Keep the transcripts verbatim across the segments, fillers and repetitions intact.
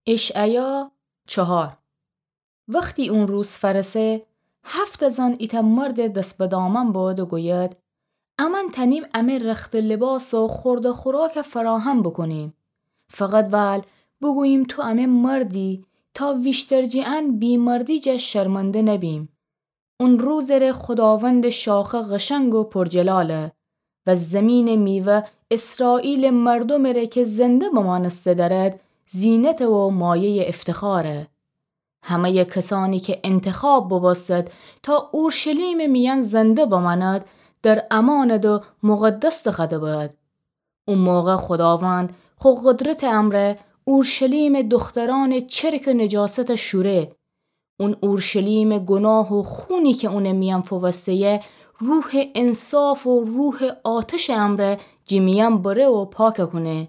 اشعیا چهار. وختی اون روز فأرسه، هفت زن ایتأ مردٚ دس به دامن بد و گوید: امأن تأنیم امه رخت و لباس و خورد و خوراک فراهم بوکونیم. فقط ول بوگوییم تو امه مردی، تا ویشتر جٚه ان بی‌مردی جا شرمنده نبیم. اون روزٚ ره خوداوندٚ شاخه قشنگ و پرجلاله و زیمینٚ میوه اسرائیلٚ مردومٚ ره که زنده بمأنسته دأرد، زینته و مایه‌یٚ افتخاره. همه‌یٚ کسأنی که انتخاب بوبوستد تا اورشلیمٚ میأن زنده بمأند، در امأنٚ دو مقدس دخوأده بد. او موقع خوداوند خو قدرتٚ امرأ اورشلیمٚ دخترأنٚ چرکٚ نجاستَ شوره. اون اورشلیمٚ گناه و خونی که اونٚ میأن فووسته‌یه، روحٚ انصاف و روحٚ آتشٚ امرأ جٚه میأن بره و پاکَ کونه.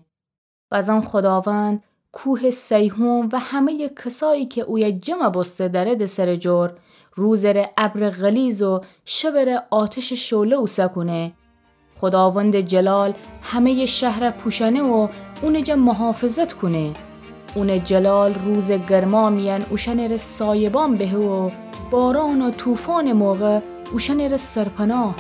بزن خوداوند کوهٚ صیهون و همه‌یٚ کسأیی که اویه جمع بوسته دأرده سرٚ جور، روزٚ ره ابرٚ غلیظ و شبٚ ره آتشٚ شعله اوسه کونه. خوداوندٚ جلال همه‌یٚ شهرَ پوشأنه و اونٚ جا محافظت کونه. اونٚ جلال روزٚ گرما میأن اوشأنٚ ره سایبان بهه و باران و طوفانٚ موقع اوشأنٚ ره سرپناه.